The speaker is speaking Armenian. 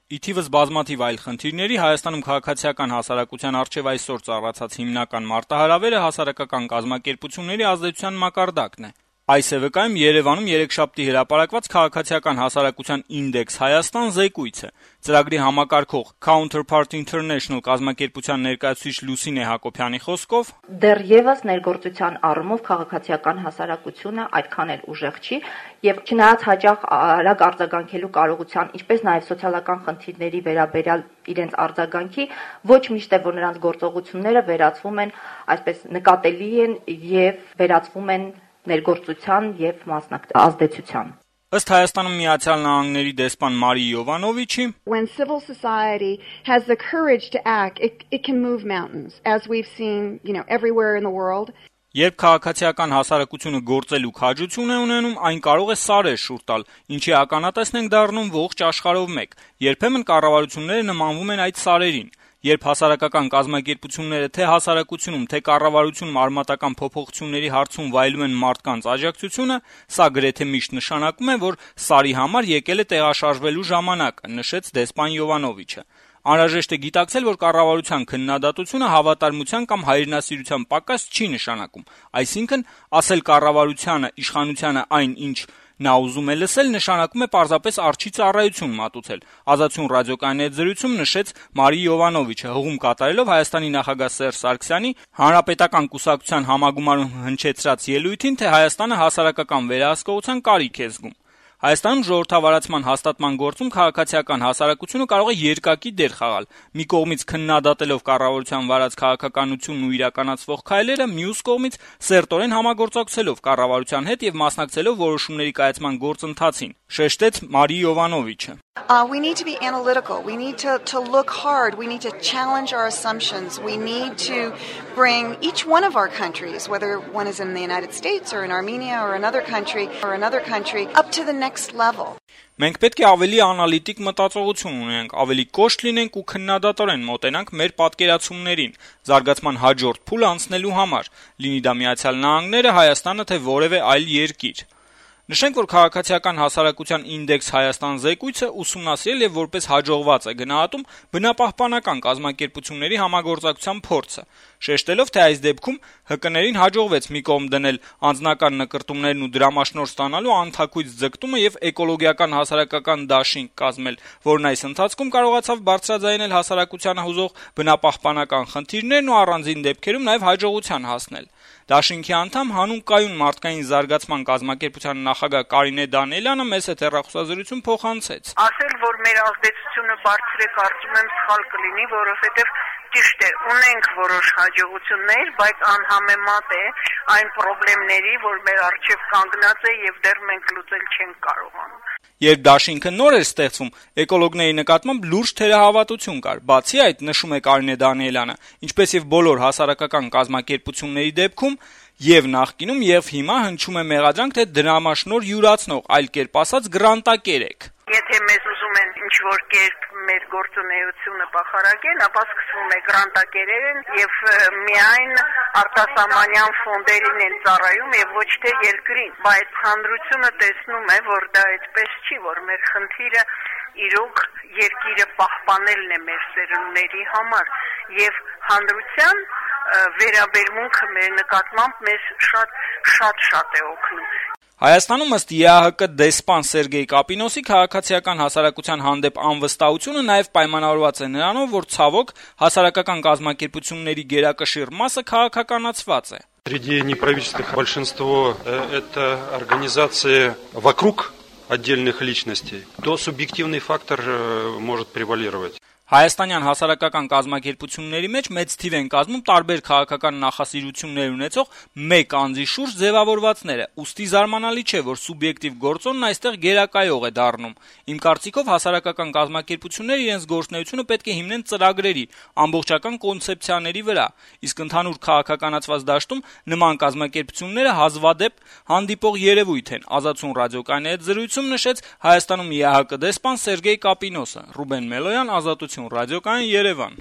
Ի թիվս բազմաթիվ այլ խնդիրների Հայաստանում քաղաքացիական հասարակության առջեւ այսօր ծառացած հիմնական մարտահրավերը հասարակական կազմակերպությունների ազդեցության մակարդակն է։ Այս է վկայում Երևանում երեքշաբթի հրապարակված քաղաքացիական հասարակության ինդեքս Հայաստան զեկույցը։ Ծրագրի համակարգող Counterpart International կազմակերպության ներկայացուցիչ Լուսինե Հակոբյանի խոսքով դեռևս ներգործության առումով քաղաքացիական հասարակությունը այդքան էլ ուժեղ չի եւ չնայած հաճախ արագ արձագանքելու կարողության, ինչպես նաեւ սոցիալական խնդիրների վերաբերյալ իրենց արձագանքի, ոչ միշտ է որ նրանց գործողությունները վերածվում են, այսպես նկատելի են եւ վերածվում են ներգործության եւ ազդեցության։ Ըստ Հայաստանում Միացյալ Նահանգների դեսպան Մարի Յովանովիչի, when civil society has the courage to act, it can move mountains, as we've seen, everywhere in the world. Երբ քաղաքացիական հասարակությունը գործելու քաջություն է ունենում, այն կարող է սարեր շուռ տալ, ինչի ականատեսն ենք դառնում ողջ աշխարհով մեկ։ Երբեմն կառավարությունները նմանվում են այդ սարերին։ Երբ հասարակական կազմակերպությունները թե հասարակությունում, թե կառավարությունում արմատական փոփոխությունների հարցում վայելում են մարդկանց աջակցությունը, սա գրեթե միշտ նշանակում է, որ սարի համար եկել է տեղաշարժվելու ժամանակը, նշեց դեսպան Յովանովիչը։ Անհրաժեշտ է գիտակցել, որ կառավարության քննադատությունը հավատարմության կամ հայրենասիրության պակաս չի նշանակում, այսինքն ասել կառավարությանը, իշխանությանը այն, ինչ նա ուզում է լսել, նշանակում է պարզապես արջի ծառայություն մատուցել։ Ազատություն ռադիոկայանի հետ զրույցում նշեց Մարի Յովանովիչը, հղում կատարելով Հայաստանի նախագահ Սերժ Սարգսյանի Հանրապետական կուսակցության համագումարում հնչեցրած ելույթին, թե Հայաստանը հասարակական վերահսկողության կարիք է զգում։ Հայաստանում ժողովրդավարացման հաստատման գործում քաղաքացիական հասարակությունը կարող է երկակի դեր խաղալ։ Մի կողմից քննադատելով կառավարության վարած քաղաքականությունն ու իրականացվող քայլերը, մյուս կողմից սերտորեն համագործակցելով կառավարության հետ եւ մասնակցելով որոշումների կայացման գործընթացին, շեշտեց Մարի Յովանովիչը։ We need to be analytical. We need to look hard. We need to challenge our assumptions. We need to bring each one of our countries, whether one is in the United States or in Armenia or another country, up to the next level. Մենք պետք է ավելի անալիտիկ մտածողություն ունենանք, ավելի կոշտ լինենք ու քննադատորեն մոտենանք մեր պատկերացումներին, զարգացման հաջորդ փուլ անցնելու համար, լինի դա Միացյալ Նահանգները, Հայաստանը թե որևէ այլ երկիր։ Նշենք, որ քաղաքացիական հասարակության ինդեքս Հայաստան զեկույցը ուսումնասիրել եւ որպես հաջողված է գնահատում բնապահպանական կազմակերպությունների համագործակցության փորձը, շեշտելով, թե այս դեպքում ՀԿ-ներին հաջողվեց մի կողմ դնել անձնական նկրտումներն ու դրամաշնորհ ստանալու անթաքույց ձգտումը եւ էկոլոգիական հասարակական դաշինք կազմել, որն այս ընթացքում կարողացավ բարձրաձայնել հասարակությանը հուզող բնապահպանական խնդիրներն ու առանձին դեպքերում նաեւ հաջողության հասնել։ Դաշինքի անդամ հանուն կայուն մարդկային զարգացման կազմակերպության նախագահ Կարինե Դանիելյանը մեծ հեռախոսազրույցում փոխանցեց. Ասել, որ մեր ազդեցությունը բարձր է, կարծում եմ սխալ կլինի, որովհետև ճիշտ է, ունենք որոշ հաջողություններ, բայց անհամեմատ է այն խնդիրների, որ մեր առջև կանգնած է եւ դեռ մենք լուծել չենք կարողանում։ Երբ դաշինքը նոր էր ստեղծվում, էկոլոգների նկատմամբ լուրջ թերահավատություն կար։ Բացի այդ, նշում է Կարինե Դանիելյանը, ինչպես եւ բոլոր հասարակական կազմակերպությունների դեպքում, եւ նախկինում եւ հիմա հնչում է մեղադրանք, թե դրամաշնորհ յուրացնող, այլ կերպ ասած գրանտակեր եք։ Եթե մեզ ուզում են ինչ-որ կերպ մեր գործունեությունը բախարակեն, ապա սկսվում է գրանտակերեն եւ միայն արտասահմանյան ֆոնդերին են ծառայում եւ ոչ թե երկրին, բայց հանրությունը տեսնում է, որ դա այդպես չի, որ մեր խնդիրը իրոք երկիրը պահպանելն է մեր սերունդների համար եւ հանրության վերաբերմունքը մեր նկատմամբ մեզ շատ է օգնում։ Հայաստանում ըստ ԵԱՀԿ դեսպան Սերգեյ Կապինոսի քաղաքացիական հասարակության հանդեպ անվստահությունը նաև պայմանավորված է նրանով, որ ցավոք հասարակական կազմակերպությունների գերակշիռ մասը քաղաքականացված է։ Среди неправительственных большинство это организации вокруг отдельных личностей, то субъективный фактор может превалировать. Հայաստանյան հասարակական կազմակերպությունների մեջ մեծ թիվ են կազմում տարբեր քաղաքական նախասիրություններ ունեցող մեկ անձի շուրջ ձևավորվածները, ուստի զարմանալի չէ, որ սուբյեկտիվ գործոնն այստեղ գերակայող է դառնում։ Իմ կարծիքով հասարակական կազմակերպությունները իրենց գործունեությունը պետք է հիմնեն ծրագրերի, ամբողջական կոնցեպցիաների վրա, իսկ ընդհանուր քաղաքականացված դաշտում նման կազմակերպությունները հազվադեպ հանդիպող երևույթ են, Ազատություն ռադիոկայանի հետ զրույցում նշեց Հայաստանում ԵԱՀԿ դեսպան Սերգեյ Կապինոսը։ Ռուբեն Մելոյան, Ազատություն ռադիոկայան, Երևան։